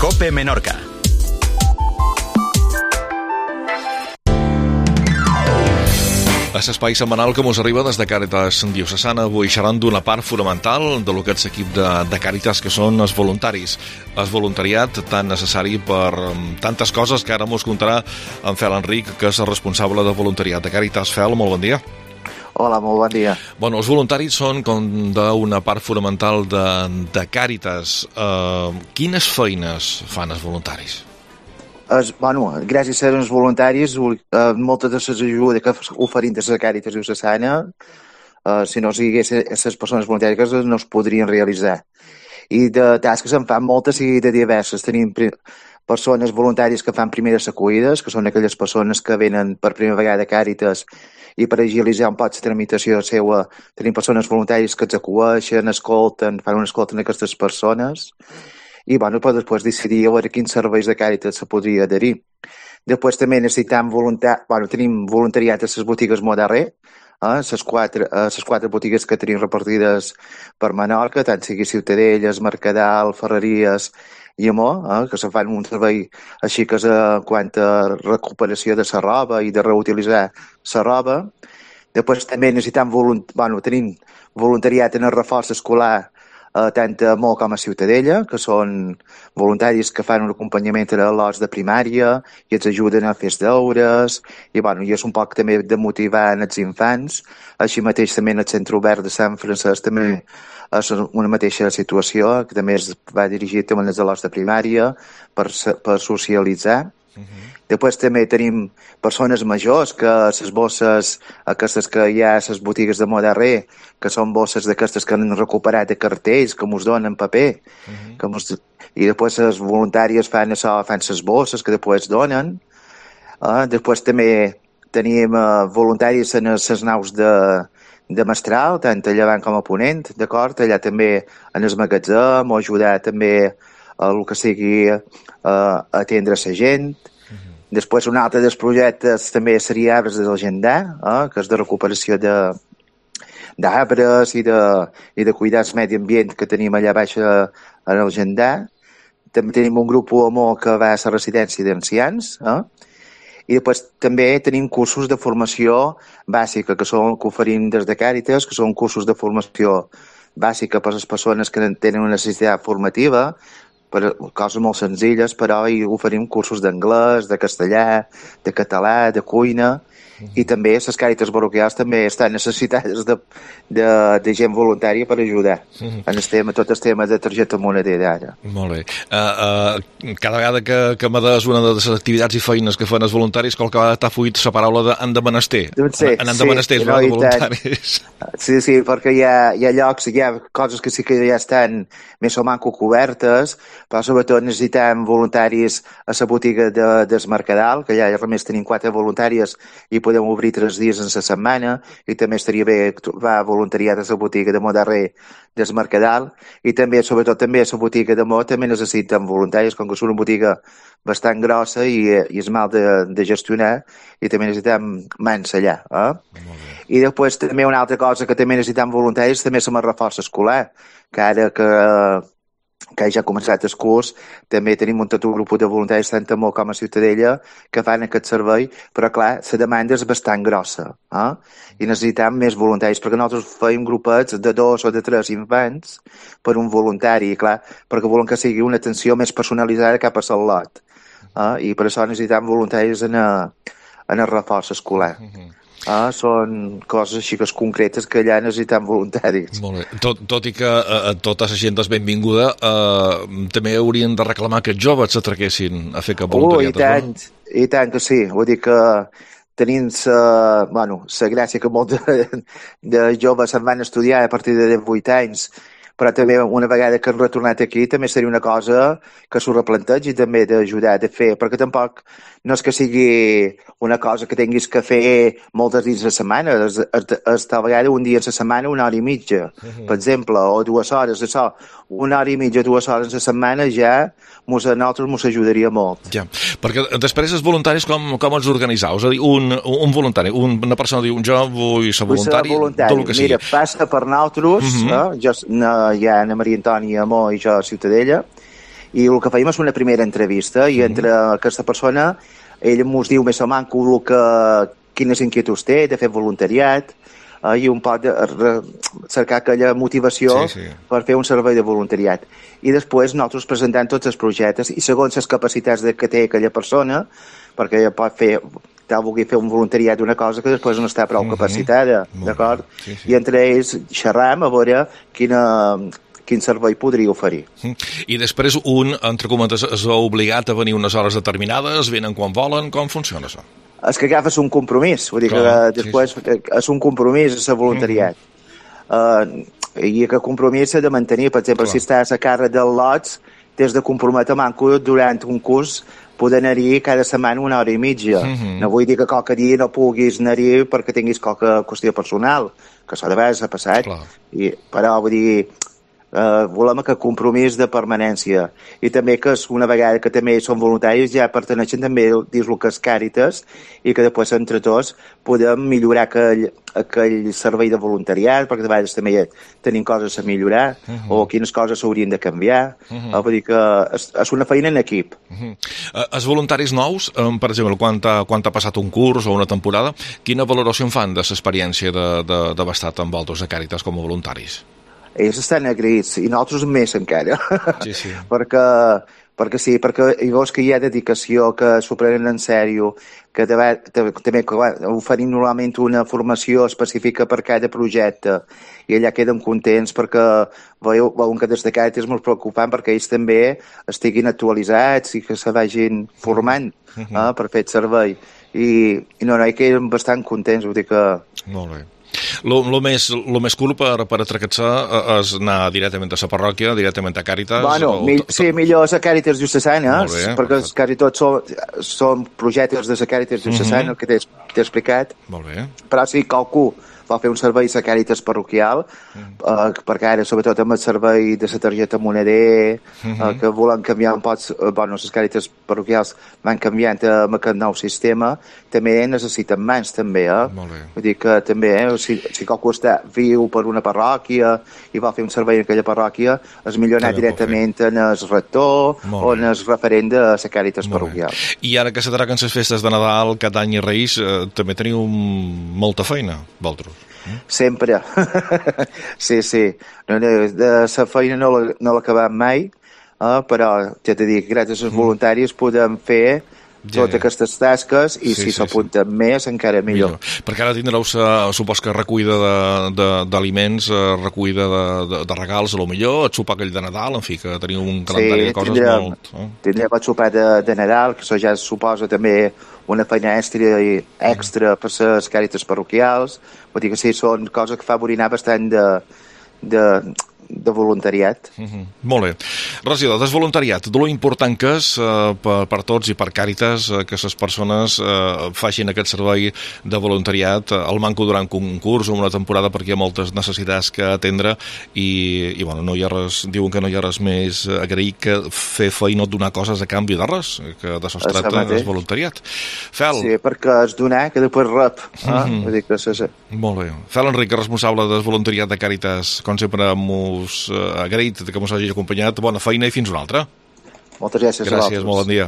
COPE Menorca. A l'espai setmanal que mos arriba des de Càritas Diocesana, avui xerrant d'una part fonamental de lo que és l'equip de Càritas, que són els voluntaris. El voluntariat tan necessari per tantes coses que ara mos contarà en Fel Enric, que és el responsable de voluntariat de Càritas. Fel, molt bon dia. Hola, molt bon dia. Bueno, els voluntaris són com d'una part fonamental de Càritas. Quines feines fan els voluntaris? Gràcies a els voluntaris, moltes de les ajudes que oferim des de Càritas Diocesana, si no hi hagués les persones voluntàries, no es podrien realitzar. I de tasques en fan moltes i de diverses. Tenim persones voluntàries que fan primeres acollides, que són aquelles persones que venen per primera vegada a Càritas i per agilitzar un poc la tramitació seva. Tenim persones voluntàries que ens acueixen, escolten, fan una escolta a aquestes persones. I després decidir a veure quins serveis de Càritas se podria adherir. Després també necessitem tenim voluntariat a les botigues Modarrer, les quatre botigues que tenim repartides per Menorca, tant sigui Ciutadelles, Mercadal, Ferreries i Amor, que se fan un servei així que quant a recuperació de la roba i de reutilitzar la roba. Després també necessitem tenim voluntariat en el reforç escolar tant a Mo com a Ciutadella, que són voluntaris que fan un acompanyament a l'horts de primària i ens ajuden a fer els deures, i és un poc també de motivar els infants. Així mateix també en el Centre Obert de Sant Francesc també és una mateixa situació, que també es va dirigir també als l'horts de primària per socialitzar. Després també tenim persones majors que les bosses aquestes que hi ha a les botigues de Modarrer, que són bosses d'aquestes que han recuperat de cartells, que mos donen paper. I després les voluntàries fan les bosses que després donen. Després també tenim voluntaris en les naus de Mestral, tant a llevant com a ponent, d'acord? Allà també en el magatzem o ajudar també a el que sigui atendre la gent. Després un altre dels projectes també seria Arbres del Gendar, que és de recuperació d'arbres i de cuidar el medi ambient que tenim allà baix en el Gendar. També tenim un grup Amor que va a la residència d'ancians. I després també tenim cursos de formació bàsica que oferim des de Càritas, que són cursos de formació bàsica per a les persones que tenen una necessitat formativa, per coses molt senzilles, però hi oferim cursos d'anglès, de castellà, de català, de cuina, i també les Càritas parroquials també estan necessitades de gent voluntària per ajudar en tot el tema de targeta monedera ara. Molt bé. Cada vegada que me des una de les activitats i feines que fan els voluntaris, qualque vegada t'ha fuit la paraula de han de menester. Han de menester, és de voluntaris. Sí, perquè hi ha llocs, hi ha coses que sí que ja estan més o manco cobertes, però sobretot necessitem voluntaris a la botiga del Mercadal, que ja només tenim 4 voluntàries i podem obrir 3 dies en la setmana, i també estaria bé va voluntariat a la botiga de Modarrer del Mercadal, i també, sobretot també a la botiga de Mo també necessiten voluntaris, com que és una botiga bastant grossa i és mal de gestionar, i també necessitem mans allà. I després també una altra cosa que també necessitem voluntaris també és el reforç escolar, que ara que ja ha començat el curs, també tenim un grup de voluntaris tant a Mo com a Ciutadella que fan aquest servei, però clar, la demanda és bastant grossa, i necessitem més voluntaris, perquè nosaltres fem grupets de 2 o de 3 infants per un voluntari, clar, perquè volem que sigui una atenció més personalitzada cap a el lot, i per això necessitem voluntaris en el reforç escolar. Són coses així que concretes que allà necessitem voluntaris. Molt bé. Tot i que tota la gent és benvinguda, també haurien de reclamar que els joves s'atraquessin a fer cap voluntariat. I tant que sí. Vull dir que tenim la gràcia que molts de joves se'n van estudiar a partir de 18 anys, però també una vegada que han retornat aquí també seria una cosa que s'ho replantegi també d'ajudar a fer, perquè tampoc no és que sigui una cosa que tinguis que fer moltes dins de setmana, és tal vegada un dia a la setmana 1 hora i mitja, per exemple, o 2 hores, això, 1 hora i mitja, 2 hores a la setmana ja a nosaltres ens ajudaria molt. Ja, perquè després els voluntaris com els organitzeu? És a dir, un voluntari, una persona diu jo vull ser voluntari, tot el que sigui. Mira, passa per nosaltres, ja Ana Maria Antònia, Amor i jo a Ciutadella, I el que fèiem és una primera entrevista i entre aquesta persona ell ens diu més o manco quines inquietuds té de fer voluntariat i un poc de cercar aquella motivació per fer un servei de voluntariat. I després nosaltres presentem tots els projectes i segons les capacitats que té aquella persona, perquè ella pot fer, vulgui fer un voluntariat d'una cosa que després no està prou capacitada, d'acord? I entre ells xerram a veure quin servei podria oferir. I després entre cometes, és obligat a venir unes hores determinades, venen quan volen, com funciona això? És que agafes un compromís, vull dir que després és un compromís, és voluntariat. I aquest compromís s'ha de mantenir, per exemple, si estàs a càrrec dels lots, t'has de comprometre manco durant un curs poder anar-hi cada setmana 1 hora i mitja. No vull dir que qualque dia no puguis anar-hi perquè tinguis qualque qüestió personal, que això de vegades ha passat, però vull dir, volem aquest compromís de permanència i també que una vegada que també són voluntaris ja perteneixen també dins el que és Càritas i que després entre tots podem millorar aquell servei de voluntariat perquè de vegades també tenim coses a millorar o quines coses s'haurien de canviar vull dir que és una feina en equip. Els voluntaris nous, per exemple, quan ha passat un curs o una temporada, quina valoració en fan de l'experiència d'haver estat amb vosaltres a Càritas com a voluntaris? Ells estan agraïts, i nosaltres més encara, perquè hi veus que hi ha dedicació, que s'ho prenen en sèrio, que també oferim normalment una formació específica per cada projecte, i allà queden contents perquè veuen que des de Càritas és molt preocupant perquè ells també estiguin actualitzats i que se vagin formant per fer el servei. I hi queden bastant contents, vull dir que... Molt bé. Lo més cool per atracar-se és anar directament a la parròquia, directament a Càritas? Sí, millor a Càritas Diocesana, perquè quasi tots són projectes de la Càritas Diocesana, que t'he explicat. Molt bé. Però si qualcú vol fer un servei a Càritas parroquial, perquè ara, sobretot amb el servei de la targeta moneder, que volen canviar un poc, les Càritas parroquials van canviant amb aquest nou sistema, també necessiten mans, també, Vull dir que també, si qualcú està viu per una parròquia i vol fer un servei en aquella parròquia, és millor anar directament en el rector o en el referent de la Càritas parroquial. I ara que s'atraquen les festes de Nadal, Cap d'Any i Reis, també teniu molta feina, vosaltres? Sempre. Sí. De la feina no l'acabem mai, però ja t'he dit, gràcies als voluntaris podem fer totes aquestes tasques i si s'apunten més encara millor. Perquè ara tindreu, supos que recollida d'aliments, recollida de regals, a lo millor, el sopar aquell de Nadal, en fi, que teniu un calendari de coses molt... Tindrem el sopar de Nadal, que això ja suposa també una feina extra per les Càritas parroquials, vull dir que sí, són coses que favoriran bastant de voluntariat. Molt bé. Regidor, del voluntariat, de lo important que és per tots i per Càritas que les persones facin aquest servei de voluntariat al manco durant un curs o una temporada perquè hi ha moltes necessitats que atendre i bueno, no hi ha res, diuen que no hi ha res més agrair que fer feina o donar coses a canvi de res, que de això es tracta el voluntariat. Fel. Sí, perquè és donar que després rep. Vull dir que sí. Molt bé. Fel Enric, responsable del voluntariat de Càritas, com sempre agraït que mos hagi acompanyat. Bona feina i fins una altra. Moltes gràcies. Gràcies, molt bon dia.